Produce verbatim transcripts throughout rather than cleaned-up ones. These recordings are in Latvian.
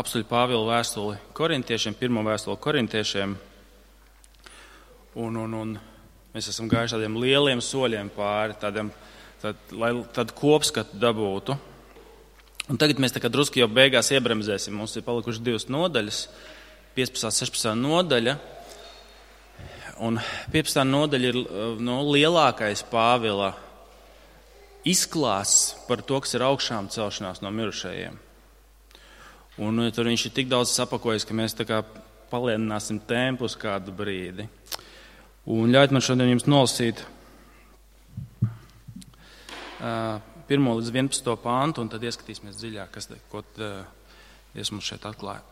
Apostoļa Pāvila vēstuli korintiešiem, pirmo vēstuli korintiešiem, un, un, un mēs esam gājuši tādiem lieliem soļiem pāri, tādiem, tad, lai tādu kopskatu dabūtu. Un tagad mēs tā kā drusku jau beigās iebremzēsim. Mums ir palikuši divas nodaļas, piecpadsmitā, sešpadsmitā nodaļa, un piecpadsmitā nodaļa ir no, lielākais Pāvila izklāsts par to, kas ir augšām celšanās no mirušajiem. Un tur viņš ir tik daudz sapakojis, ka mēs tā kā palielināsim tempu uz kādu brīdi. Un ļaujiet man šodien jums nolasīt uh, pirmo līdz vienpadsmito pāntu, un tad ieskatīsimies dziļāk, kas, ko uh, Dievs mums šeit atklāja.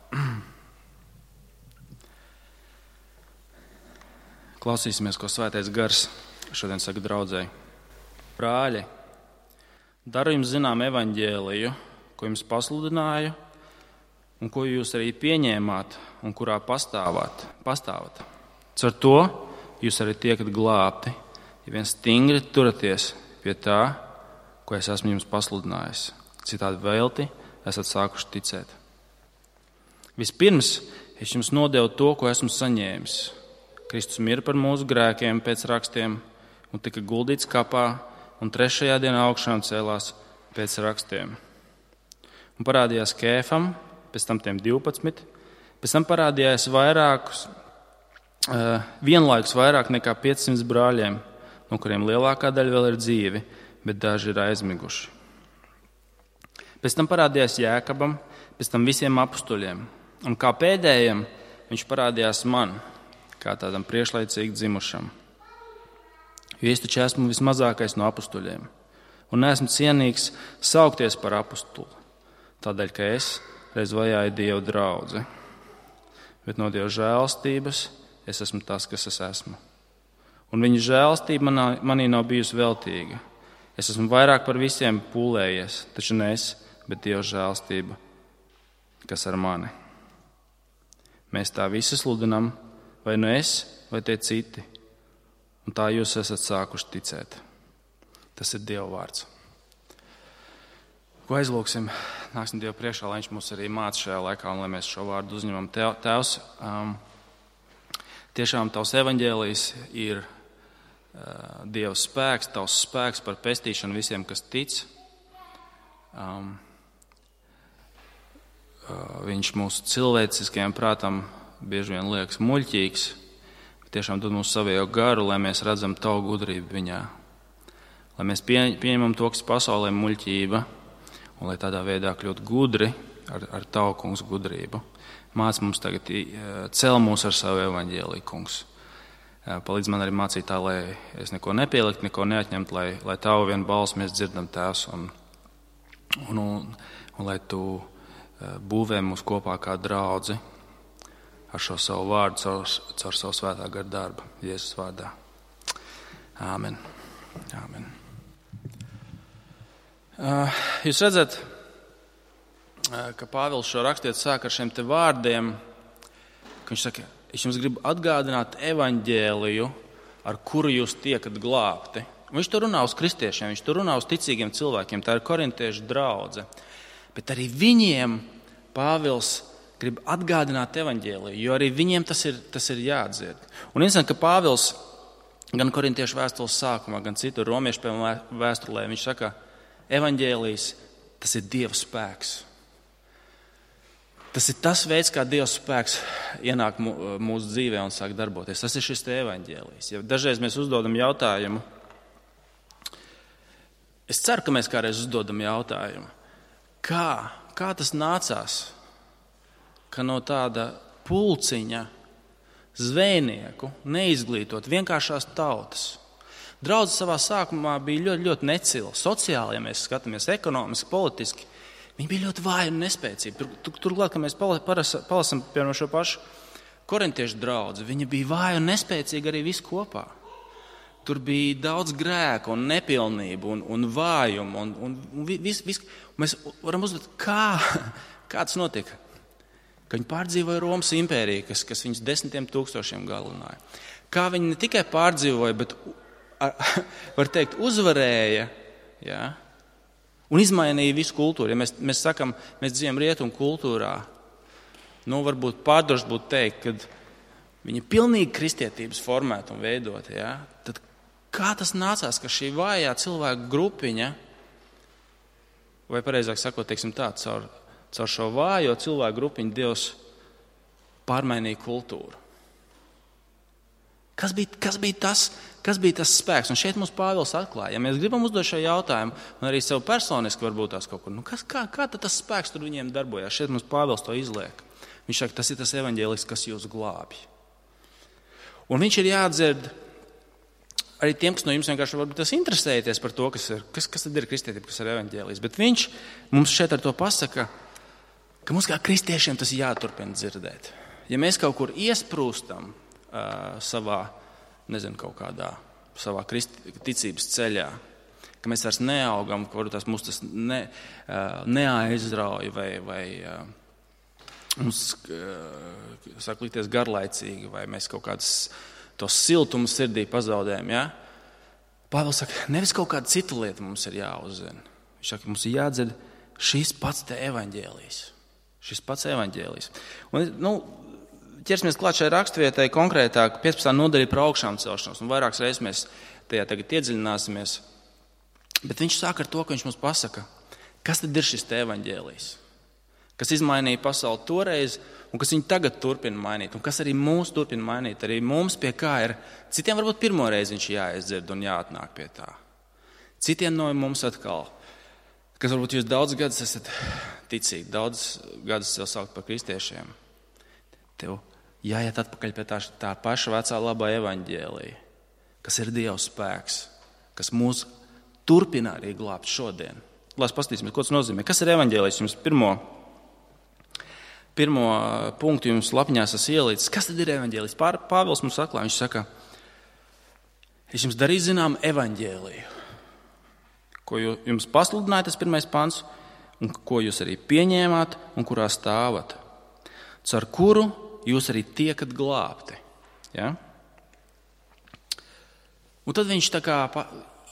Klausīsimies, ko Svētais Gars šodien saka draudzēji. Brāļi, daru jums zinām evaņģēliju, ko jums pasludināju, un ko jūs arī pieņēmāt, un kurā pastāvāt. pastāvat. Caur to jūs arī tiekat glābti, ja vien stingri turaties pie tā, ko es esmu jums pasludinājis. Citādi velti esat sākuši ticēt. Vispirms es jums nodevu to, ko esmu saņēmis. Kristus mira par mūsu grēkiem pēc rakstiem, un tika guldīts kapā, un trešajā dienā augšām cēlās pēc rakstiem. Un parādījās Kēfam, pēc tam tiem divpadsmit, pēc tam parādījās vairākus, uh, vienlaikus vairāk nekā piecsimt brāļiem, no kuriem lielākā daļa vēl ir dzīvi, bet daži ir aizmiguši. Pēc tam parādījās Jēkabam, pēc tam visiem apustuļiem, un kā pēdējiem viņš parādījās man, kā tādam priekšlaicīgi dzimušam. Jo es taču esmu vismazākais no apustuļiem, un neesmu cienīgs saukties par apustuli, tādēļ, ka es reiz vajāju Dievu draudzi, bet no Dieva žēlstības es esmu tas, kas es esmu. Un viņa žēlstība manā, manī nav bijusi veltīga. Es esmu vairāk par visiem pūlējies, taču ne es, bet Dieva žēlstība, kas ar mani. Mēs tā visi sludinam, vai nu es, vai tie citi, un tā jūs esat sākuši ticēt. Tas ir Dieva vārds. Ko aizlūksim? Nāksim Dievu priekšā, lai viņš mūs arī māca šajā laikā un lai mēs šo vārdu uzņemam. Tēvs, um, tiešām tavs evaņģēlijs ir uh, Dieva spēks, tavs spēks par pestīšanu visiem, kas tic. Um, uh, viņš mūsu cilvēciskajam prātam bieži vien liekas muļķīgs, bet tiešām dod mums savējo garu, lai mēs redzam tavu gudrību viņā. Lai mēs pie, pieņemam to, kas pasaulē muļķība, un lai tādā veidā kļūt gudri ar, ar tavu, kungs, gudrību. Māc mums tagad, cel mūs ar savu evaņģēliju, kungs. Palīdz man arī mācīt tā, lai es neko nepielikt, neko neatņemt, lai, lai tavu vienu balsi mēs dzirdam, Tēvs, un, un, un, un lai tu būvē mūs kopā kā draudzi ar šo savu vārdu, caur, caur savu svētā gara darbu. Jēzus vārdā. Āmen. Āmen. Jūs redzat, ka Pāvils šo rakstiet sāk ar šiem te vārdiem, ka viņš saka, es jums gribu atgādināt evaņģēliju, ar kuru jūs tiekat glābti. Un viņš tur runā uz kristiešiem, viņš tur runā uz ticīgiem cilvēkiem, tā ir korintiešu draudze. Bet arī viņiem Pāvils grib atgādināt evaņģēliju, jo arī viņiem tas ir, tas ir jādzird. Un interesanti, ka Pāvils gan korintiešu vēstules sākumā, gan citur romiešu vēstulē, viņš saka, evaņģēlijs, tas ir Dieva spēks. Tas ir tas veids, kā Dieva spēks ienāk mūsu dzīvē un sāk darboties. Tas ir šis te evaņģēlijs. Ja dažreiz mēs uzdodam jautājumu, es ceru, ka mēs kādreiz uzdodam jautājumu, kā, kā tas nācās, ka no tāda pulciņa zvejnieku neizglītot vienkāršās tautas, draudze savā sākumā bija ļoti, ļoti necila. Sociāli, ja mēs skatāmies ekonomiski, politiski, viņi bija ļoti vāji un nespēcīgi. Tur, tur, turklāt, ka mēs palasam piemēram šo pašu korintiešu draudzi, viņa bija vāja un nespēcīga arī visu kopā. Tur bija daudz grēku un nepilnību un, un vājumu. Un, un, un vis, vis, mēs varam uzdot, kā, kā tas notika. Ka viņi pārdzīvoja Romas impēriju, kas, kas viņus desmitiem tūkstošiem galināja. Kā viņi ne tikai pārdzīvoja, bet var teikt, uzvarēja, ja, un izmainīja visu kultūru. Ja mēs, mēs sakam, mēs dzīvojam rietumu kultūrā, nu, varbūt pārdroši būtu teikt, ka viņi pilnīgi kristietības formēta un veidota, ja? Tad kā tas nācās, ka šī vājā cilvēku grupiņa, vai pareizāk sakot, teiksim tā, caur, caur šo vājo cilvēku grupiņu Dievs pārmainīja kultūru? Kas bija, kas bija tas, kas bija tas spēks? Un šeit mums Pāvils atklāja. Ja mēs gribam uzdot šo jautājumu, un arī sev personiski varbūt tās kaut kur, nu kas, kā, kā tad tas spēks tur viņiem darbojās? Šeit mums Pāvils to izliek. Viņš saka, tas ir tas evaņģēlijs, kas jūs glābj. Un viņš ir jāatdzird arī tiem, kas no jums vienkārši varbūt tas interesēties par to, kas, ir, kas, kas tad ir kristietība, kas ir evaņģēlijs. Bet viņš mums šeit ar to pasaka, ka mums kā kristiešiem tas jāturpina dzirdēt. Ja mēs kaut kur iesprūstam uh, savā, nezinu, kaut kādā savā kristi, ticības ceļā, ka mēs vairs neaugam, ka varbūt tas mūs tas ne, uh, neaizrauj vai, vai uh, mums uh, sāk likties garlaicīgi, vai mēs kaut kādas tos siltumu sirdī pazaudējam. Ja? Pāvils saka, nevis kaut kāda cita lieta mums ir jāuzzina. Viņš saka, mums ir jādzird šis pats te evaņģēlijs. Šis pats evaņģēlijs. Un, nu, ķersimies klāt šai raksturvietai konkrētāk, piecpadsmitā nodaļa par augšām celšanos. Un vairākas reizes mēs tajā tagad iedziļināsimies. Bet viņš sāk ar to, ka viņš mums pasaka, kas tad ir šis te evaņģēlijs, kas izmainīja pasauli toreiz un kas viņu tagad turpina mainīt, un kas arī mūs turpina mainīt. Arī mums pie kā ir, citiem varbūt pirmo reizi viņš jāiedzird un jāatnāk pie tā. Citiem no mums atkal, kas varbūt jūs daudz gadus esat ticīgi, daudz gadus sev saukt par kristiešiem. Tev jāiet atpakaļ pie tā, tā paša vecā labā evaņģēlija, kas ir Dieva spēks, kas mūs turpina arī glābt šodien. Lai paskatīsimies, ko tas nozīmē. Kas ir evaņģēlijs? Jums pirmo, pirmo punktu jums lapiņās esmu ielicis. Kas tad ir evaņģēlijs? Pāvils mums atklāja, viņš saka, es jums darīju zinām evaņģēliju, ko jums pasludināja tas pirmais pants, un ko jūs arī pieņēmāt un kurā stāvat, caur kuru jūs arī tiekat glābti. Ja? Un tad viņš tā kā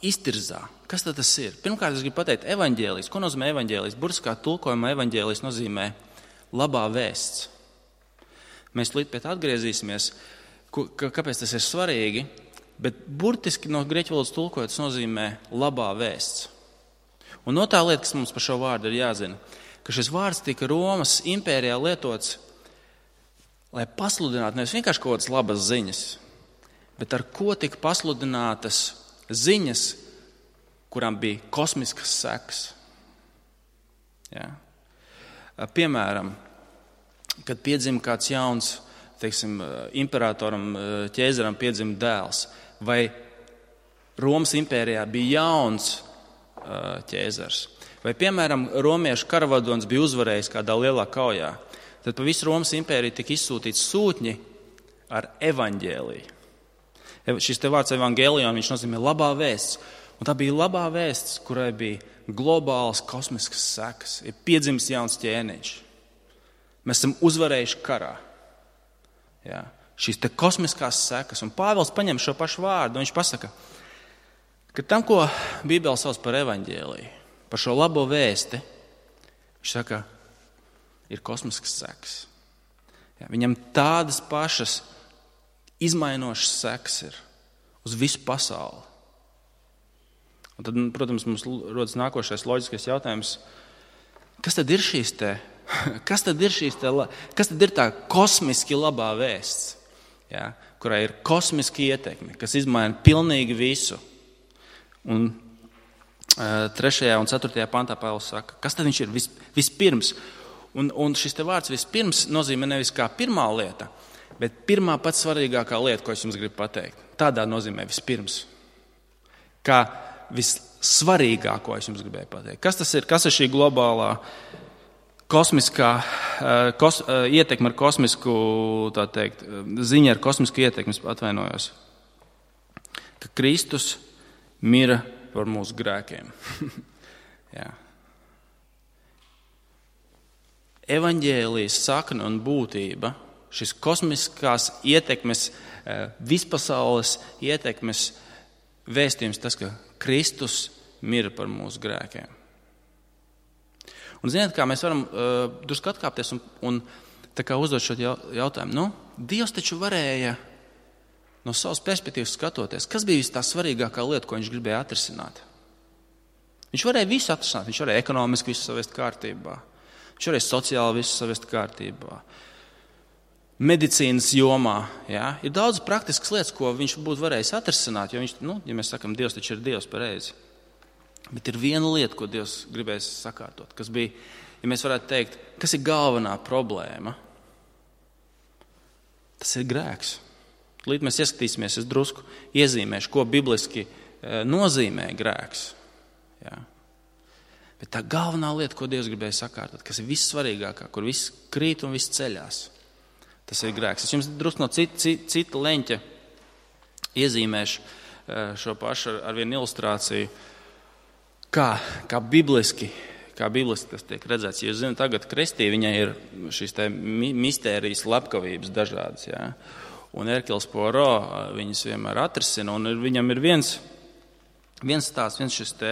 iztirzā. Kas tad tas ir? Pirmkārt, es gribu pateikt evaņģēlijs. Ko nozīmē evaņģēlijs? Burtiskā tulkojumā evaņģēlijs nozīmē labā vēsts. Mēs līdz pēc atgriezīsimies, kāpēc tas ir svarīgi, bet burtiski no grieķu valodas tulkojot tas nozīmē labā vēsts. Un no tā lieta, kas mums par šo vārdu ir jāzina, ka šis vārds tika Romas impērijā lietots, lai pasludinātu nevis vienkārši kaut kādas labas ziņas, bet ar ko tika pasludinātas ziņas, kurām bija kosmiskas sekas. Ja? Piemēram, kad piedzima kāds jauns, teiksim, imperatoram, ķēzaram piedzima dēls, vai Romas impērijā bija jauns ķēzars, vai, piemēram, romiešu karavadons bija uzvarējis kādā lielā kaujā, tad pa visu Romas impēriju tika izsūtīts sūtņi ar evaņģēliju. Šis te vārds evangelion, viņš nozīmē labā vēsts. Un tā bija labā vēsts, kurai bija globāls kosmiskas sekas. Ir piedzimis jauns ķēniņš. Mēs esam uzvarējuši karā. Ja? Šīs te kosmiskās sekas. Un Pāvils paņem šo pašu vārdu. Viņš pasaka, ka tam, ko Bībele sauc par evaņģēliju, par šo labo vēsti, viņš saka, ir kosmiskas sekas. Ja? Viņam tādas pašas izmainošas sekas ir uz visu pasauli. Un tad, protams, mums rodas nākošais loģiskais jautājums, kas tad ir šīs te, kas tad ir šīs te, kas tad ir tā kosmiski labā vēsts, ja, kurā ir kosmiski ietekmi, kas izmaina pilnīgi visu. Un uh, trešajā un ceturtajā pantā Pāvils saka, kas tad viņš ir vis, vispirms. Un, un šis te vārds vispirms nozīmē nevis kā pirmā lieta, bet pirmā pats svarīgākā lieta, ko es jums gribu pateikt, tādā nozīmē vispirms. Kā vissvarīgāko es jums gribēju pateikt. Kas tas ir? Kas ir šī globālā kosmiskā kos, ietekme ar kosmisku, tā teikt, ziņa ar kosmisku ietekmi, atvainojos? Ka Kristus mira par mūsu grēkiem. Jā. Evaņģēlijas sakne un būtība, šis kosmiskās ietekmes, vispasaules ietekmes vēstījums, tas, ka Kristus mira par mūsu grēkiem. Un ziniet, kā mēs varam uh, drusku atkāpties un, un tā kā uzdot šo jautājumu, nu, Dievs taču varēja no savas perspektīvas skatoties, kas bija tā svarīgākā lieta, ko viņš gribēja atrisināt. Viņš varēja visu atrisināt, viņš varēja ekonomiski visu savest kārtībā, viņš varēja sociāli visu savest kārtībā, medicīnas jomā, jā. Ir daudz praktiskas lietas, ko viņš būtu varējis atrisināt, jo viņš, nu, ja mēs sakam, Dievs taču ir Dievs pareizi. Bet ir viena lieta, ko Dievs gribēs sakārtot, kas bija, ja mēs varētu teikt, kas ir galvenā problēma, tas ir grēks. Līdz mēs ieskatīsimies, es drusku iezīmēšu, ko bibliski nozīmē grēks. Jā. Bet tā galvenā lieta, ko Dievs gribēja sakārtot, kas ir vissvarīgākā, kur viss krīt un viss ceļās, tas ir grēks. Es jums drusku no cita, cita, cita leņķa iezīmēšu šo pašu ar vienu ilustrāciju, kā, kā bibliski, kā bibliski tas tiek redzēts. Ja jūs zināt, tagad kristī viņai ir šīs te mistērijas, slepkavības dažādas, jā. Un Erkils Poirot viņas vienmēr atrisina, un viņam ir viens, viens tās, viens šis te,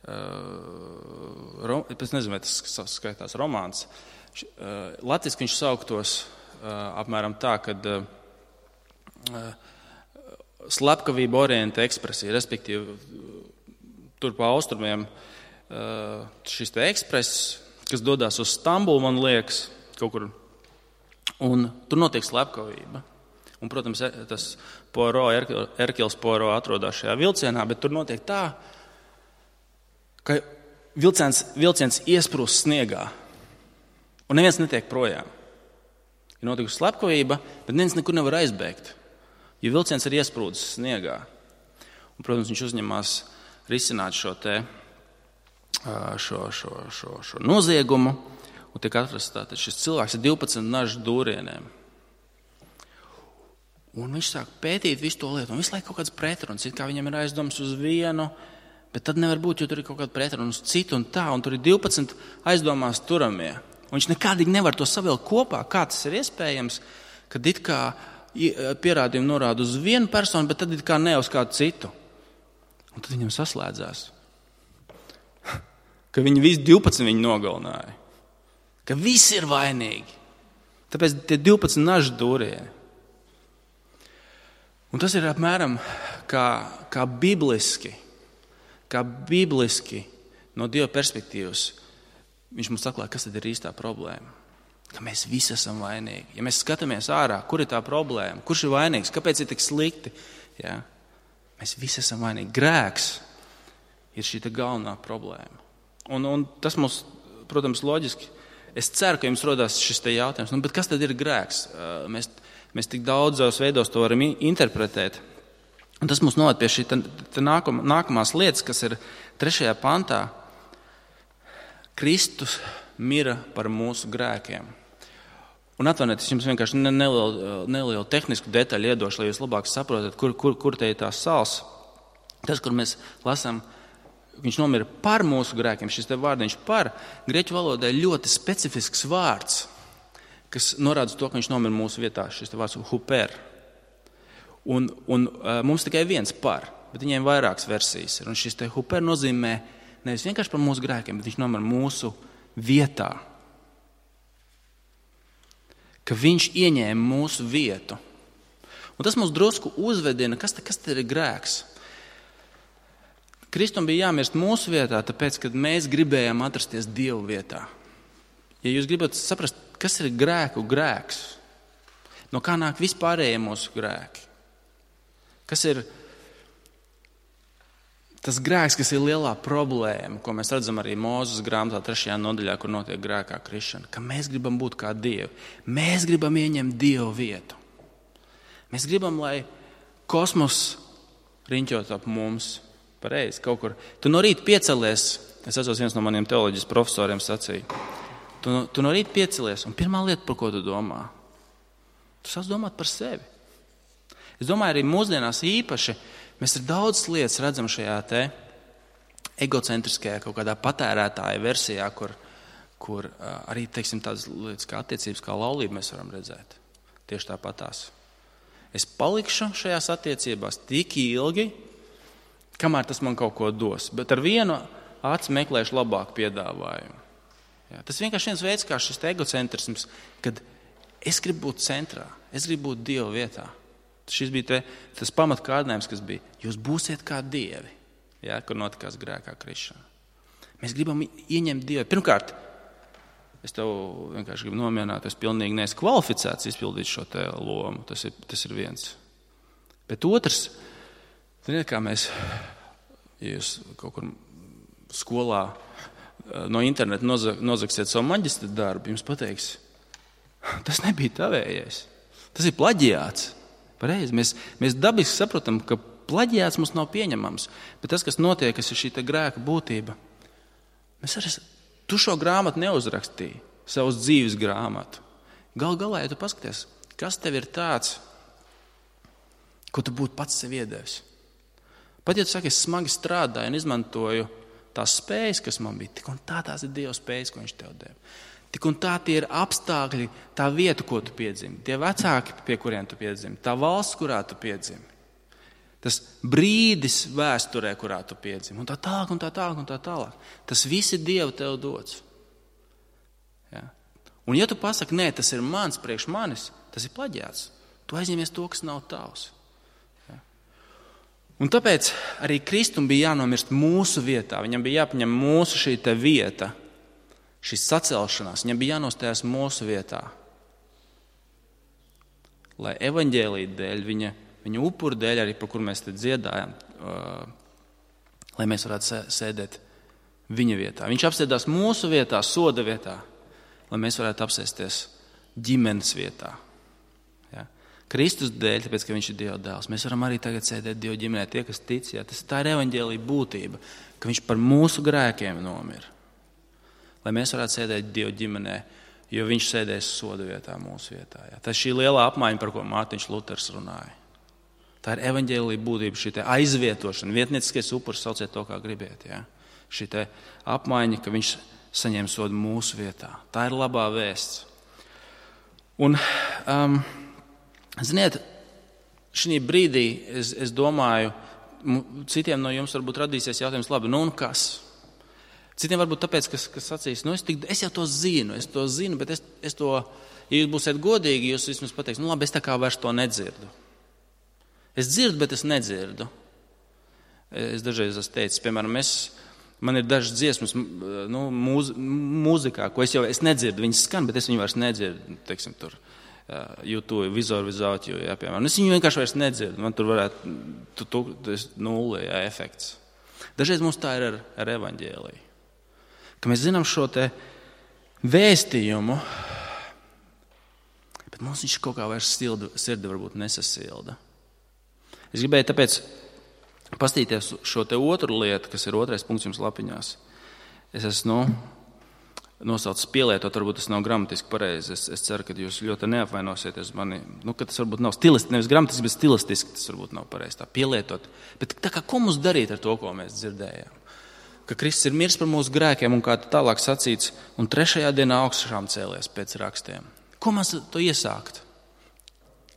uh, es nezinu, vai tas skaitās romāns, uh, latviski viņš sauktos uh, apmēram tā, kad uh, slepkavība orienta ekspresija, respektīvi tur pa austrumiem uh, šis te ekspress, kas dodās uz Stambulu, man liekas, kaut kur, un tur notiek slepkavība. Un, protams, tas Poirot, Erkils Poirot atrodas šajā vilcienā, bet tur notiek tā, ka vilciens, vilciens iesprūst sniegā, un neviens netiek projām. Ir notikusi slepkavība, bet neviens nekur nevar aizbēgt, jo vilciens ir iesprūdis sniegā. Un, protams, viņš uzņemās risināt šo, te, šo, šo, šo, šo noziegumu, un tiek atrasts tātad šis cilvēks ar divpadsmit nažu dūrieniem. Un viņš sāk pētīt visu to lietu, un visu laiku kaut kāds pretruns, it kā viņam ir aizdoms uz vienu, bet tad nevar būt, jo tur ir kaut kāda pretruna uz citu un tā, un tur ir divpadsmit aizdomās turamie. Un viņš nekādīgi nevar to savilkt kopā, kā tas ir iespējams, kad it kā pierādījumi norāda uz vienu personu, bet tad it kā ne uz kādu citu. Un tad viņam saslēdzās, ka viņi visi divpadsmit viņu nogalināja, ka visi ir vainīgi. Tāpēc tie divpadsmit nažu dūrieni. Un tas ir apmēram kā, kā bibliski, kā bibliski no Dieva perspektīvas. Viņš mums atklāja, kas tad ir īstā problēma. Ka mēs visi esam vainīgi. Ja mēs skatāmies ārā, kur ir tā problēma, kurš ir vainīgs, kāpēc ir tik slikti, jā, mēs visi esam vainīgi. Grēks ir šī galvenā problēma. Un, un tas mums, protams, loģiski, es ceru, ka jums rodās šis te jautājums, nu, bet kas tad ir grēks? Mēs Mēs tik daudzos veidos to varam interpretēt. Un tas mums noved pie šī tā, tā nākam, nākamās lietas, kas ir trešajā pantā. Kristus mira par mūsu grēkiem. Un atvainojiet, es jums vienkārši nelielu, nelielu tehnisku detaļu iedošu, lai jūs labāk saprotat, kur, kur, kur te ir tās sals. Tas, kur mēs lasām, viņš nomira par mūsu grēkiem, šis te vārdiņš par, grieķu valodai ļoti specifisks vārds, kas norāda to, ka viņš nomira mūsu vietā, šis te vārds huper. Un, un mums tikai viens par, bet viņiem vairākas versijas ir. Un šis te huper nozīmē nevis vienkārši par mūsu grēkiem, bet viņš nomira mūsu vietā. Ka viņš ieņēma mūsu vietu. Un tas mums drusku uzvedina, kas, te, kas te ir grēks. Kristum bija jāmirst mūsu vietā, tāpēc, kad mēs gribējām atrasties Dievu vietā. Ja jūs gribat saprast, kas ir grēku grēks, no kā nāk vispārējie mūsu grēki, kas ir tas grēks, kas ir lielā problēma, ko mēs redzam arī Mūzes grāmatā trešajā nodaļā, kur notiek grēkā krišana, ka mēs gribam būt kā Dievi, mēs gribam ieņemt Dievu vietu. Mēs gribam, lai kosmos riņķot ap mums pareizi kaut kur. Tu no rīta piecelies, es esmu viens no maniem teoloģijas profesoriem sacīja, Tu no, tu no rīta piecelies, un pirmā lieta, par ko tu domā, tu sāc domāt par sevi. Es domāju, arī mūsdienās īpaši mēs ir daudz lietas redzam šajā te egocentriskajā kaut kādā patērētāja versijā, kur, kur arī, teiksim, tādas lietas kā attiecības, kā laulība mēs varam redzēt. Tieši tāpatās. Es palikšu šajās attiecībās tik ilgi, kamēr tas man kaut ko dos, bet ar vienu aci meklēšu labāku piedāvājumu. Jā, tas vienkārši viens veids, kā šis egocentrisms, kad Es gribu būt centrā, es gribu būt Dieva vietā. Šis bija te, tas pamatkārdinājums, kas bija. Jūs būsiet kā dievi, ja, kur notikās grēkā krišana. Mēs gribam ieņemt Dievu. Pirmkārt, es tev vienkārši gribu nomierināt, es pilnīgi neesmu kvalificēts izpildīt šo te lomu. Tas ir, tas ir viens. Bet otrs, ziniet, kā mēs, ja jūs kaut kur skolā no interneta nozagsiet savu maģistra darbu, jums pateiks, tas nebija tavējais. Tas ir plaģiāts. Pareizi. Mēs, mēs dabiski saprotam, ka plaģiāts mums nav pieņemams, bet tas, kas notiek, kas ir šī grēka būtība, mēs arī, tu šo grāmatu neuzrakstīji, savus dzīves grāmatu. Gal galā, ja tu paskaties, kas tev ir tāds, ko tu būtu pats sev iedevis. Pat ja tu saki, es smagi strādāju un izmantoju tās spējas, kas man bija, tik un tā tās ir Dieva spējas, ko viņš tev deva. Tik un tā tie ir apstākļi, tā vieta, ko tu piedzimi, tie vecāki, pie kuriem tu piedzimi, tā valsts, kurā tu piedzimi, tas brīdis vēsturē, kurā tu piedzimi, un tā tālāk, un tā tālāk, un tā tālāk. Tas viss ir Dieva tev dots. Ja? Un ja tu pasaki, nē, tas ir mans priekš manis, tas ir plaģiāts. Tu aizņemies to, kas nav tavs. Ja? Un tāpēc arī Kristum bija jānomirst mūsu vietā. Viņam bija jāpaņem mūsu šī te vieta, šis sacelšanās, viņam bija jānostājās mūsu vietā. Lai evaņģēlija dēļ, viņa, viņa upuru dēļ, arī par kur mēs te dziedājam, uh, lai mēs varētu sēdēt viņa vietā. Viņš apsēdās mūsu vietā, soda vietā, lai mēs varētu apsēsties ģimenes vietā. Ja? Kristus dēļ, tāpēc, ka viņš ir Dieva dēls, mēs varam arī tagad sēdēt Dieva ģimenē, tie, kas tic. Ja? Tas tā ir evaņģēlija būtība, ka viņš par mūsu grēkiem nomira. Lai mēs varētu sēdēt Dieva ģimenē, jo viņš sēdēs soda vietā mūsu vietā. Ja. Tas ir šī lielā apmaiņa, par ko Mārtiņš Luters runāja. Tā ir evaņģēlija būtība, šī te aizvietošana, vietnieciskais upuris, sauciet to, kā gribiet. Ja. Šī te apmaiņa, ka viņš saņem sodu mūsu vietā. Tā ir labā vēsts. Un, um, ziniet, šī brīdī es, es domāju, citiem no jums varbūt radīsies jautājums, labi, nu un kas? Citiem varbūt tāpēc, kas, kas sacīs, nu es, tik, es jau to zinu, es to zinu, bet es, es to, ja jūs būsiet godīgi, jūs vismaz pateiks, nu labi, es tā kā vairs to nedzirdu. Es dzirdu, bet es nedzirdu. Es dažreiz esmu teicis, piemēram, es, man ir dažas dziesmas nu, mūz, mūzikā, ko es jau es nedzirdu, viņas skan, bet es viņu vairs nedzirdu, teiksim, tur, YouTube, Vizor Without You, jā, piemēram. Es viņu vienkārši vairs nedzirdu, man tur varētu, tu, tu, tu, nulle, jā, efekts. Dažreiz mums tā ir ar, ar evaņģēliju. Ka mēs zinām šo te vēstījumu, bet mums viņš kaut kā vairs sirdi, sirdi varbūt nesasilda. Es gribēju tāpēc pastīties šo te otru lietu, kas ir otrais punkts jums lapiņās. Es esmu, nu, nosaucis pielietot, varbūt tas nav gramatiski pareizi. Es, es ceru, ka jūs ļoti neapvainosieties mani, nu, ka tas varbūt nav stilistiski, nevis gramatiski, bet stilistiski tas varbūt nav pareizi tā pielietot. Bet tā kā ko mums darīt ar to, ko mēs dzirdējām? Ka Kristus ir miris par mūsu grēkiem un kā tālāk sacīts, un trešajā dienā augšām cēlies pēc rakstiem. Ko mums to iesākt?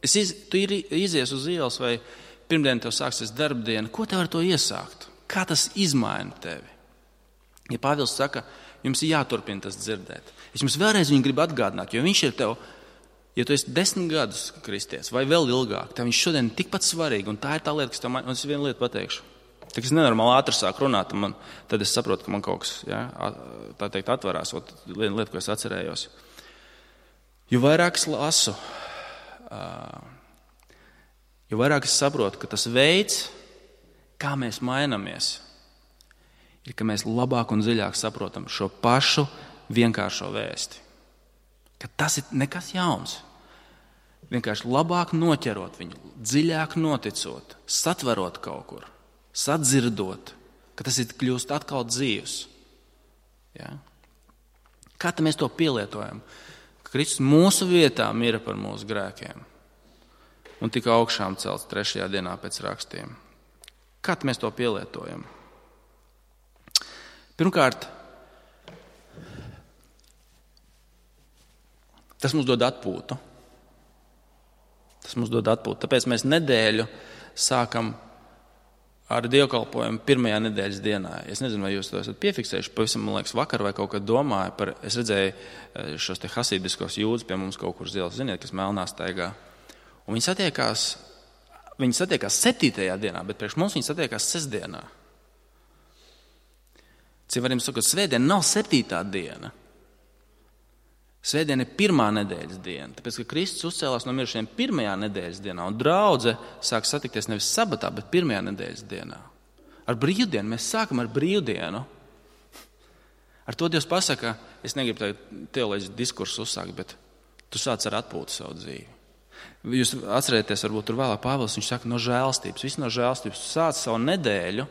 Es iz, tu ir, izies uz ielas vai pirmdien tev sāksies darbdiena, ko tev ar to iesākt? Kā tas izmaina tevi? Ja Pāvils saka, jums ir jāturpina tas dzirdēt. Es jums vēlreiz viņu gribu atgādināt, jo viņš ir tev, ja tu esi desmit gadus kristietis vai vēl ilgāk, tad viņš šodien ir tikpat svarīgi, un tā ir tā lieta, kas tev man, un es vienu lietu pateikšu. Tad es nenormāli ātri sāku runāt, man, tad es saprotu, ka man kaut kas, ja, tā teikt, atvarās. Ot, viena lieta, ko es atcerējos. Jo vairāk es lasu, jo vairāk es saprotu, ka tas veids, kā mēs mainamies, ir, ka mēs labāk un dziļāk saprotam šo pašu vienkāršo vēsti. Ka tas ir nekas jauns. Vienkārši labāk noķerot viņu, dziļāk noticot, satverot kaut kur. Sadzirdot, ka tas ir kļūst atkal dzīvs. Ja? Kā tad mēs to pielietojam? Ka Kristus mūsu vietā mira par mūsu grēkiem un tika augšām celts trešajā dienā pēc rakstiem. Kā tad mēs to pielietojam? Pirmkārt, tas mums dod atpūtu. Tas mums dod atpūtu. Tāpēc mēs nedēļu sākam ar dievkalpojumu pirmajā nedēļas dienā. Es nezinu, vai jūs to esat piefiksējuši, pavisam, man liekas, vakar vai kaut kad domāju par, es redzēju šos te hasīdiskos jūdus pie mums kaut kur zils, ziniet, kas melnā staigā. Un viņi satiekās, viņi satiekās septītajā dienā, bet priekš mums viņi satiekās sestdienā. Cik varam sakot, svētdiena nav septītā diena. Svētdiena ir pirmā nedēļas diena, tāpēc, ka Kristus uzcēlās no mirušajiem pirmajā nedēļas dienā, un draudze sāk satikties nevis sabatā, bet pirmajā nedēļas dienā. Ar brīvdienu, mēs sākam ar brīvdienu. Ar to Dievs pasaka, es negribu tagad teoloģisku diskursu uzsākt, bet tu sāc ar atpūtu savu dzīvi. Jūs atcerēties, varbūt tur vēlāk Pāvils, viņš saka, no žēlstības, viss no žēlstības, tu sāc savu nedēļu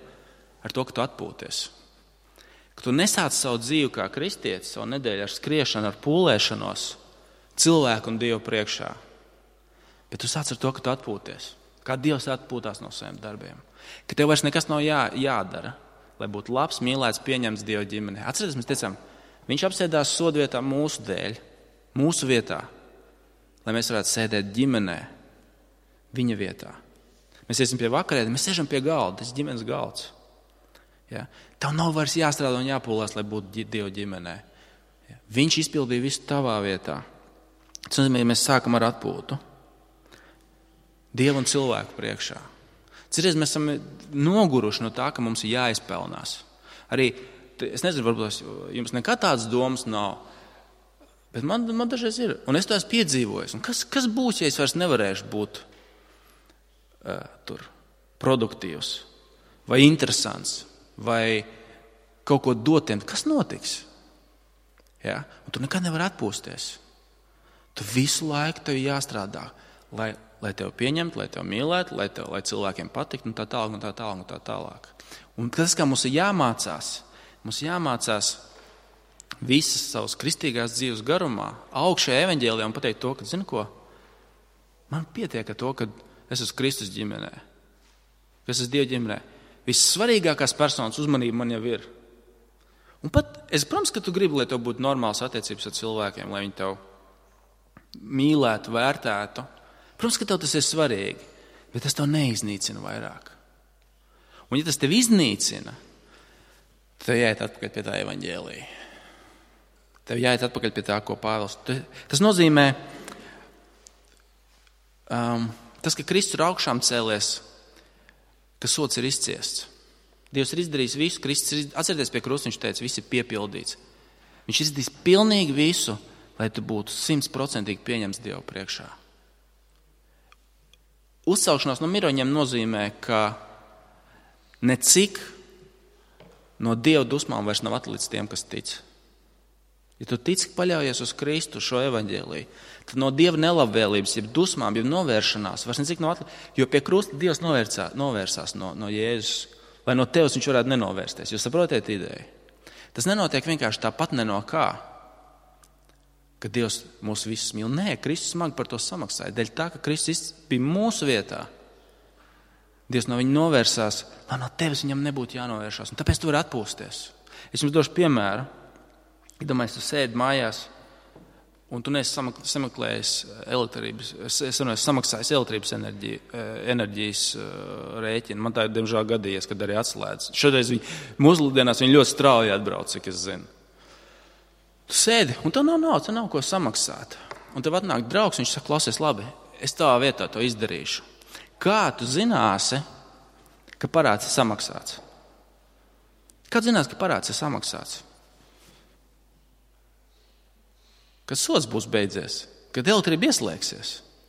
ar to, ka tu atpūties. Ka tu nesāc savu dzīvi kā kristietis, savu nedēļu ar skriešanu, ar pūlēšanos, cilvēku un Dievu priekšā. Bet tu sāc ar to, ka tu atpūties. Kā Dievs atpūtās no saviem darbiem. Ka tev vairs nekas nav jā, jādara, lai būtu labs, mīlēts, pieņemts Dieva ģimenē. Atcerieties, mēs teicām, viņš apsēdās sodvietā mūsu dēļ, mūsu vietā, lai mēs varētu sēdēt ģimenē, viņa vietā. Mēs iesim pie vakarēdi, mēs sēžam pie galda, tas ir ģimenes galds. Ja? Tev nav vairs jāstrādā un jāpūlās, lai būtu Dieva ģimenē. Ja? Viņš izpildīja visu tavā vietā. Tas nozīmē, ja mēs sākam ar atpūtu. Dievu un cilvēku priekšā. Cerēs, mēs esam noguruši no tā, ka mums ir jāizpelnās. Arī, es nezinu, varbūt jums nekad tādas domas nav, bet man, man dažreiz ir. Un es to esmu piedzīvojis. Un kas, kas būs, ja es vairs nevarēšu būt uh, tur produktīvs vai interesants? Vai kaut ko dotiem, kas notiks? Ja? Un tu nekad nevar atpūsties. Tu visu laiku tev jāstrādā, lai, lai tev pieņemtu, lai tev mīlētu, lai, tev, lai cilvēkiem patiktu, un tā tālāk, un tā tālāk, un tā tālāk. Un tas, kā mums ir jāmācās, mums jāmācās visas savas kristīgās dzīves garumā, augšējā evaņģēlijā un pateikt to, ka, zini ko, man pietiek ar to, ka es esmu Kristus ģimenē, ka es esmu Dieva ģimenē. Vissvarīgākās personas uzmanība man jau ir. Un pat, es, protams, ka tu gribi, lai tev būtu normāls attiecības ar cilvēkiem, lai viņi tev mīlētu, vērtētu. Protams, ka tev tas ir svarīgi, bet tas tev neiznīcina vairāk. Un ja tas tev iznīcina, tev jāiet atpakaļ pie tā evaņģēlija. Tev jāiet atpakaļ pie tā, ko Pāvils. Tas nozīmē, um, tas, ka Kristus ir augšām cēlies, ka sots ir izciests. Dievs ir izdarījis visu, Kristus ir, atcerieties pie krusta, viņš teica, viss ir piepildīts. Viņš izdarīs pilnīgi visu, lai tu būtu simtprocentīgi pieņemts Dievu priekšā. Uzcelšanās no miroņiem nozīmē, ka necik no Dieva dusmām vairs nav atlicis tiem, kas tic. Ja tu tici, paļaujies uz Kristu šo evaņģēliju, tad no Dieva nelabvēlības, jeb dusmām, jeb novēršanās, vairs necik nav atlicis, jo pie krusta Dievs novērsā, novērsās no, no Jēzus, lai no tevis viņš varētu nenovērsties. Jūs saprotiet ideju? Tas nenotiek vienkārši tāpat ne no kā, ka Dievs mūs visus mīl. Nē, Kristus smagi par to samaksāja. Dēļ tā, ka Kristus bija mūsu vietā, Dievs no viņa novērsās, lai no tevis viņam nebūtu jānovēršās. Un tāpēc tu vari atpūsties. Es jums došu piemēru. Iedomājies, tu sēdi mājās, un tu neesi sameklējis elektrības, es, es neesmu samaksājis elektrības enerģiju, enerģijas rēķinu. Man tā ir, diemžēl, gadījies, kad arī atslēdz. Šodien viņi, mūsdienās viņi ļoti strauji atbrauc, cik es zinu. Tu sēdi, un tev nav naudas, tev nav ko samaksāt. Un tev atnāk draugs, viņš saka, klausies, labi, es tavā vietā to izdarīšu. Kā tu zināsi, ka parāds ir samaksāts? Kā tu zināsi, ka parāds ir samaksāts? Kad sots būs beidzies, kad elektrība ieslēgsies.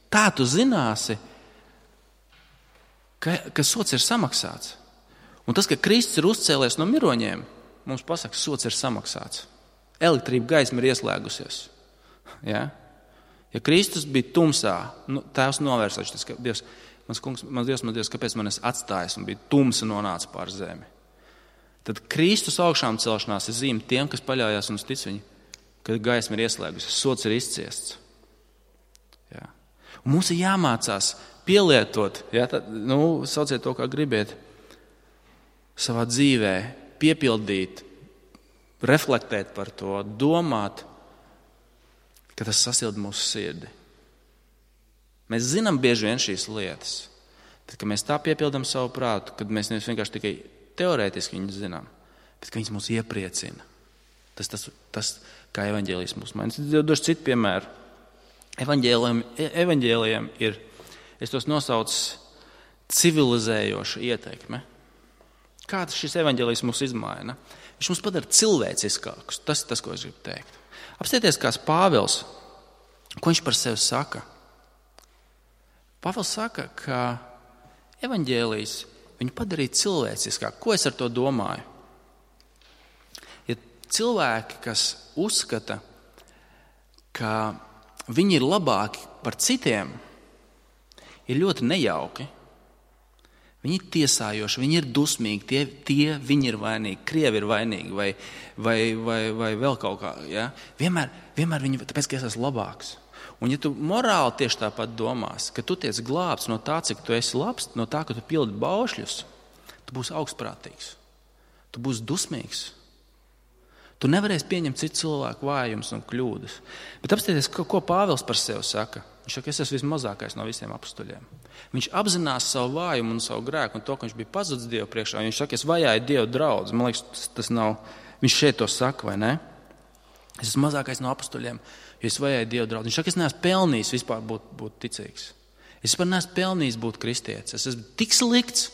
Tā tu zināsi, ka, ka sots ir samaksāts. Un tas, ka Kristus ir uzcēlies no miroņiem, mums pasaka, sots ir samaksāts. Elektrība gaisma ir ieslēgusies. Ja, ja Kristus bija tumsā, nu, tēvs novērsās, tas, ka Dievs, mans kungs, mans Dievs, mans Dievs, kāpēc man es atstājis un bija tumsa nonāca pār zemi. Tad Kristus augšām celšanās ir zīme tiem, kas paļaujās un tic viņu, kad gaisma ir ieslēgusies, sots ir izciests. Ja. Un mums ir jāmācās pielietot, ja, tad, nu, sauciet to, kā gribiet, savā dzīvē, piepildīt, reflektēt par to, domāt, ka tas sasilda mūsu sirdi. Mēs zinām bieži vien šīs lietas, Tad, kad mēs tā piepildam savu prātu, kad mēs nevis vienkārši tikai teorētiski viņus zinām, bet ka viņas mūs iepriecina. Tas, tas, tas kā evaņģēlijs mūs maina. Es došu citu piemēru. Evaņģēlijam, evaņģēlijam ir, es tos nosaucu, civilizējoša ieteikme. Kā šis evaņģēlijs mūs izmaina? Viņš mums padara cilvēciskākus. Tas ir tas, ko es gribu teikt. Apstieties, kāds Pāvils, ko viņš par sevi saka. Pāvils saka, ka evaņģēlijs viņu padarīja cilvēciskāk. Ko es ar to domāju? Ja cilvēki, kas uzskata, ka viņi ir labāki par citiem, ir ļoti nejauki. Viņi ir tiesājoši, viņi ir dusmīgi, tie, tie viņi ir vainīgi, krievi ir vainīgi vai, vai, vai, vai vēl kaut kā. Ja? Vienmēr, vienmēr viņi, tāpēc, ka es esmu labāks. Un ja tu morāli tieši tāpat domās, ka tu tiec glābts no tā, cik tu esi labs, no tā, ka tu pildi baušļus, tu būsi augstprātīgs, tu būsi dusmīgs. Tu nevarēsi pieņemt citu cilvēku vājumus un kļūdas. Bet apstāties, ko, ko Pāvils par sevi saka. Viņš saka, es esmu vismazākais no visiem apustuļiem. Viņš apzinās savu vājumu un savu grēku un to, ka viņš bija pazudis Dievu priekšā. Viņš saka, es vajāju Dievu draudz. Man liekas, tas, tas nav, viņš šeit to saka, vai ne? Es esmu mazākais no apustuļiem, jo es vajāju Dievu draudz. Viņš saka, es neesmu pelnījis vispār būt, būt ticīgs. Es vispār neesmu pelnījis būt kristietis. Es esmu tik slikts,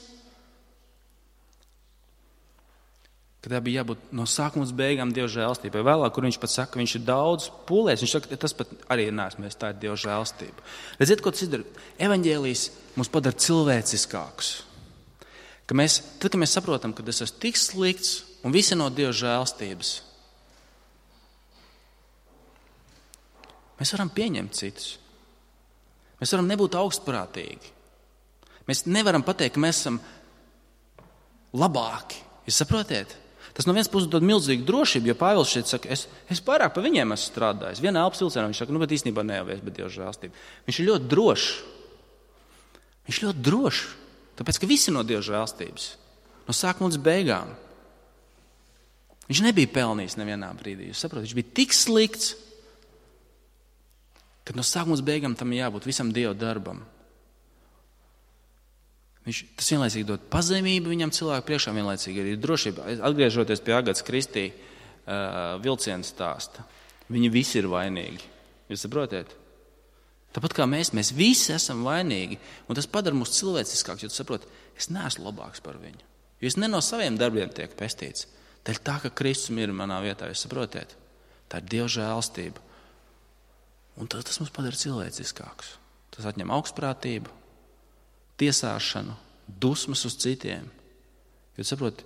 ka tā bija jābūt no sākuma līdz beigām Dieva žēlstībai. Vēlāk, kur viņš pat saka, viņš ir daudz pūlēs, viņš saka, tas pat arī neesmu, mēs tā ir Dieva žēlstība. Redziet, ko tas ir? Evaņģēlijs mums padara cilvēciskākus. Ka mēs, tad, kad mēs saprotam, ka es esmu tik slikts un visi no Dieva žēlstības, mēs varam pieņemt citus. Mēs varam nebūt augstprātīgi. Mēs nevaram pateikt, ka mēs esam labāki. Jūs saprotiet? Tas no vienas puses dod milzīgu drošību, jo Pāvils šeit saka, es, es pārāk pa viņiem esmu strādājis. Vienā elpas vilcienā viņš saka, nu, bet īstenībā nejavies, bet Dieva žēlstība. Viņš ir ļoti drošs. Viņš ir ļoti drošs, tāpēc, ka visi no Dieva žēlstības. No sākuma līdz beigām. Viņš nebija pelnījis nevienā brīdī. Jūs saprotat, viņš bija tik slikts, ka no sākuma līdz beigām tam jābūt visam Dieva darbam. Viņš, tas vienlaicīgi dod pazemību viņam cilvēku priekšā, vienlaicīgi arī drošība. Atgriežoties pie Agatas Kristī uh, vilciena stāsta, viņi visi ir vainīgi. Jūs saprotiet? Tāpat kā mēs, mēs visi esam vainīgi, un tas padara mūs cilvēciskāks, jo tu saproti, es neesmu labāks par viņu. Jo es ne no saviem darbiem tiek pestīts. Tā ir tā, ka Kristus ir manā vietā, jūs saprotiet? Tā ir Dieva žēlstība. Un tas, tas mums padara cilvēciskāks. Tas atņem augstprātību, tiesāšanu, dusmas uz citiem. Jo saprot,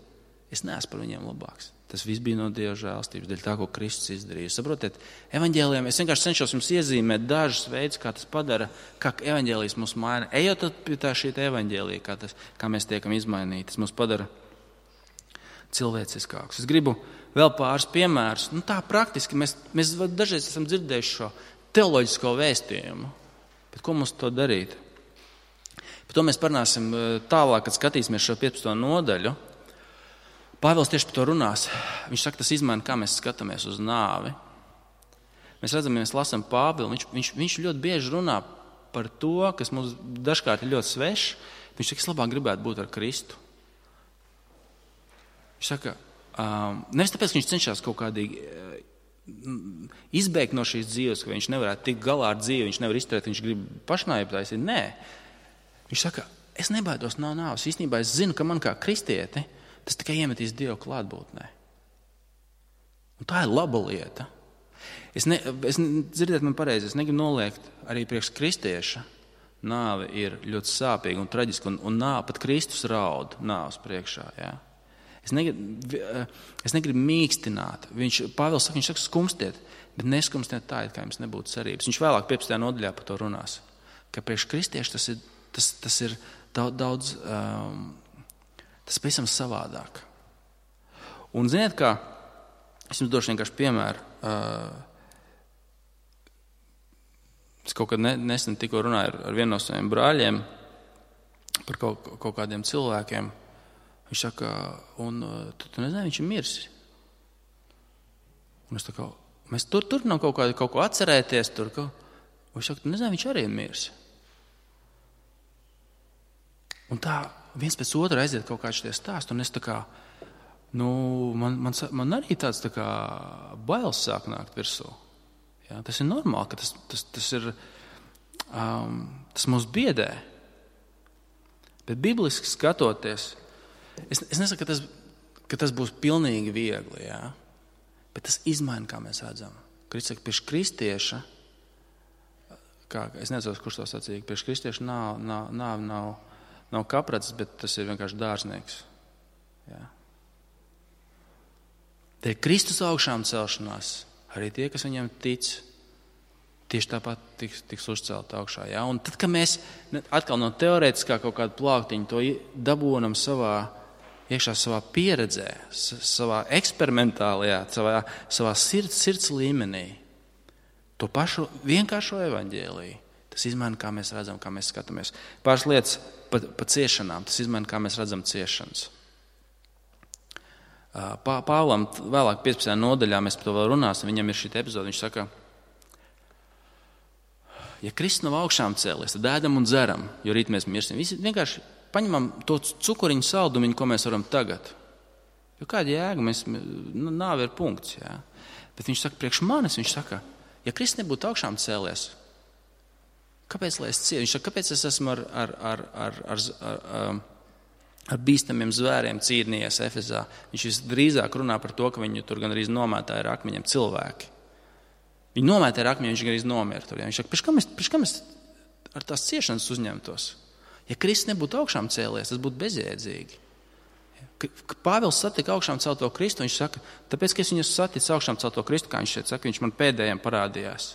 es neesmu par viņiem labāks. Tas viss bija no Dieva žēlstības, dēļ tā, ko Kristus izdarīja. Saprotiet, evaņģēlijam, es vienkārši cenšos jums iezīmēt dažus veidus, kā tas padara, kā evaņģēlijs mūs maina. Ejot pie tā šī evaņģēlija, kā, tas, kā mēs tiekam izmainīti, tas mūs padara cilvēciskāks. Es gribu vēl pāris piemērus. Nu, tā praktiski mēs, mēs dažreiz esam dzirdējuši šo teoloģisko vēstījumu. Bet ko mums to darīt? Par to mēs parunāsim tālāk, kad skatīsimies šo piecpadsmito nodaļu. Pāvils tieši par to runās. Viņš saka, tas izmaina, kā mēs skatāmies uz nāvi. Mēs redzam, ja mēs lasām Pāvilu, viņš, viņš, viņš ļoti bieži runā par to, kas mums dažkārt ir ļoti svešs. Viņš saka, es labāk gribētu būt ar Kristu. Viņš saka, um, nevis tāpēc, ka viņš cenšas kaut kādīgi uh, izbēgt no šīs dzīves, ka viņš nevarētu tikt galā ar dzīvi, viņš nevar izturēt, viņš grib pašnāvību taisīt. Nē. Viņš saka, es nebaidos no nāves. Īstenībā es zinu, ka man kā kristieti tas tikai iemetīs Dievu klātbūtnē. Un tā ir laba lieta. Es, ne, es dzirdiet man pareizi, es negribu noliegt arī priekš kristieša. Nāve ir ļoti sāpīga un traģiska, un, un nāve, pat Kristus raud nāves priekšā. Jā. Es negribu, es negribu mīkstināt. Viņš, Pāvils saka, viņš saka, skumstiet, bet neskumstiet tā, it kā jums nebūtu cerības. Viņš vēlāk piecpadsmitajā nodaļā par to runās, ka priekš kristieša tas ir Tas, tas ir daudz, daudz um, tas pavisam savādāk. Un ziniet kā, es jums došu vienkārši piemēru. Uh, es kaut kad ne, nesen tikko runāju ar, ar vienu no saviem brāļiem par kaut, kaut kādiem cilvēkiem. Viņš saka, un tu, tu nezini, viņš ir mirsis. Un es tā kā, mēs tur turpinām kaut, kā, kaut ko atcerēties. Tur, ka, un viņš saka, tu nezini, viņš arī ir mirsis. Un tā viens pēc otra aiziet kaut kāds šitie stāsti, un es tā kā, nu, man, man, man arī tāds tā kā bailes sāk nākt virsū. Ja, tas ir normāli, ka tas, tas, tas ir, um, tas mūs biedē. Bet bibliski skatoties, es, es nesaku, ka tas, ka tas būs pilnīgi viegli, ja, bet tas izmaina, kā mēs redzam. Kristus saka, priekš kristieša, kā, es nezinu, kurš to sacīja, priekš kristieša nav, nav, nav, nav Nav kaprats, bet tas ir vienkārši dārznieks. Jā. Te ir Kristus augšām celšanās. Arī tie, kas viņam tic, tieši tāpat tiks, tiks uzcelt augšā. Jā. Un tad, kad mēs atkal no teorētiskā kaut kāda plāktiņa to dabūnam savā, iekšā savā pieredzē, savā eksperimentālajā, savā, savā sirds, sirds līmenī, to pašu vienkāršo evaņģēliju, tas izmaina, kā mēs redzam, kā mēs skatāmies. Pāris lietas pa, pa ciešanām, tas izmaina, kā mēs redzam ciešanas. Pā, Pāvlam vēlāk piecpadsmitajā nodaļā mēs par to vēl runāsim, viņam ir šī epizode, viņš saka, ja Kristus nav augšām cēlies, tad ēdam un dzeram, jo rīt mēs mirsim. Visi vienkārši paņemam to cukuriņu saldumiņu, ko mēs varam tagad. Jo kāda jēga, mēs, nāve ir punkts, jā. Bet viņš saka, priekš manis, viņš saka, ja Kristus nebūtu augšām cēlies, kāpēc lai es ciešu? Viņš saka, kāpēc es esmu ar, ar, ar, ar, ar, ar, ar bīstamiem zvēriem cīnījies Efezā? Viņš visdrīzāk runā par to, ka viņu tur gan arī nomētāja ar akmeņiem cilvēki. Viņi nomētāja ar akmeņiem, viņš gan arī nomira tur. Ja? Viņš saka, pēc kam es, pēc kam es ar tās ciešanas uzņemtos? Ja Kristus nebūtu augšām cēlies, tas būtu bezjēdzīgi. Kad Pāvils satika augšām celto Kristu, viņš saka, tāpēc, ka es viņu saticu augšām celto Kristu, kā viņš šeit saka, viņš man pēdējiem parādījās.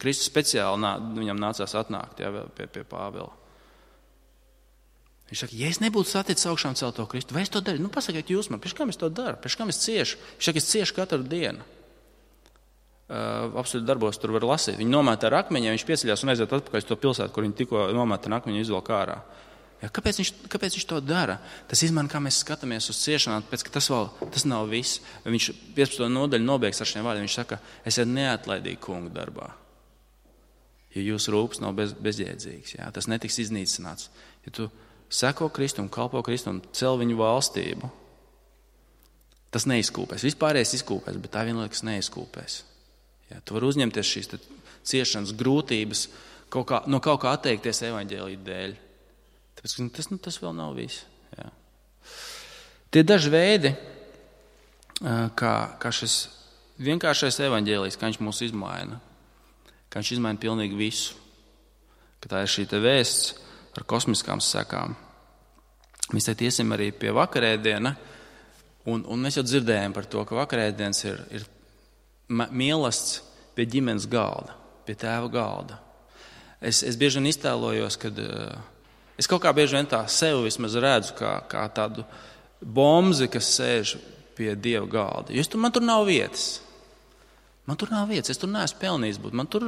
Kristus speciāli nā, viņam nācās atnākt, jā, pie, pie Pāvila. Viņš saka, ja es nebūtu saticis augšām celto Kristu, vai es to daru? Nu, pasakiet jūs man, pēc kam es to daru? Pēc kam es ciešu? Viņš saka, es ciešu katru dienu. Uh, absolūti darbos tur var lasīt. Viņi nomēta ar akmeņiem, viņš pieceļās un aiziet atpakaļ uz to pilsētu, kur viņi tikko nomēta ar akmeņu izvelk ārā. Ja, kāpēc, viņš, kāpēc viņš to dara? Tas izmaina, kā mēs skatāmies uz ciešanām, pēc, ka tas vēl tas nav viss. Viņš piecpadsmitajā nodaļu nobeigs ar šiem vārdiem. Viņš saka, esiet neatlaidīgi kungu darbā. Jo jūsu rūpes nav bez, bezjēdzīgs. Ja? Tas netiks iznīcināts. Ja tu seko Kristum, kalpo Kristum, cel viņu valstību, tas neizkūpēs. Vispārējais izkūpēs, bet tā vienlaikus neizkūpēs. Ja? Tu vari uzņemties šīs ciešanas grūtības, kaut kā, no kaut kā atteikties evaņģēlija dēļ. Tāpēc tas, nu, tas vēl nav viss. Jā. Tie daži veidi, kā, kā šis vienkāršais evaņģēlijs, kā viņš mūs izmaina, kā viņš izmaina pilnīgi visu, ka tā ir šī te vēsts ar kosmiskām sekām. Mēs teikt iesim arī pie vakarēdiena, un, un mēs jau dzirdējām par to, ka vakarēdienas ir, ir mīlestība pie ģimenes galda, pie tēva galda. Es, es bieži vien iztēlojos, kad es kaut kā bieži vien tā sevi vismaz redzu kā, kā tādu bomzi, kas sēž pie Dieva galda. Jo tur, man tur nav vietas. Man tur nav vietas, es tur neesmu pelnījis būt. Man tur,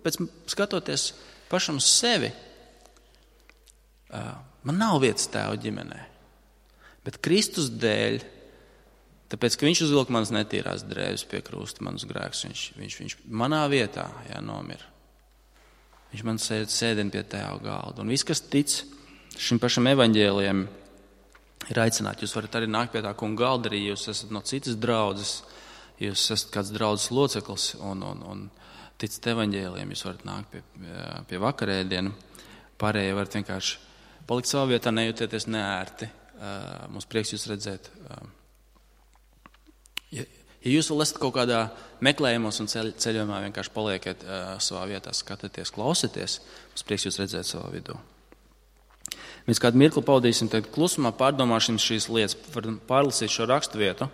pēc skatoties pašam uz sevi, man nav vietas tēva ģimenē. Bet Kristus dēļ, tāpēc, ka viņš uzvilka manas netīrās drēbes pie krusta, manus grēkus, viņš, viņš, viņš manā vietā jā, nomira. Viņš man sēd, sēdina pie tēva galda. Un viss, kas tic šim pašam evaņģēlijam, ir aicināti. Jūs varat arī nākt pie tā kunga galda, arī jūs esat no citas draudzes, jūs esat kāds draudzes loceklis un, un, un ticat evaņģēlijam, jūs varat nākt pie, pie vakarēdienu. Pārējie varat vienkārši palikt savā vietā, nejūtieties neērti. Mums prieks jūs redzēt. Ja, Ja jūs vēl esat kaut kādā meklējumos un ceļ, ceļojumā, vienkārši palieciet uh, savā vietā, skatieties, klausieties, mums prieks jūs redzēt savā vidū. Mēs kādu mirkli pavadīsim, tad klusumā pārdomāsim šīs lietas, pārlasīt šo rakstu vietu.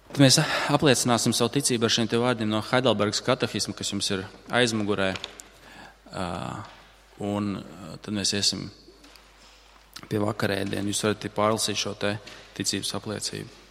Tad mēs apliecināsim savu ticību ar šiem te vārdiem no Heidelbergas katehisma, kas jums ir aizmugurē. Uh, un uh, tad mēs iesim pie vakarēdienu. Jūs varat pārlasīt šo te ticības apliecību.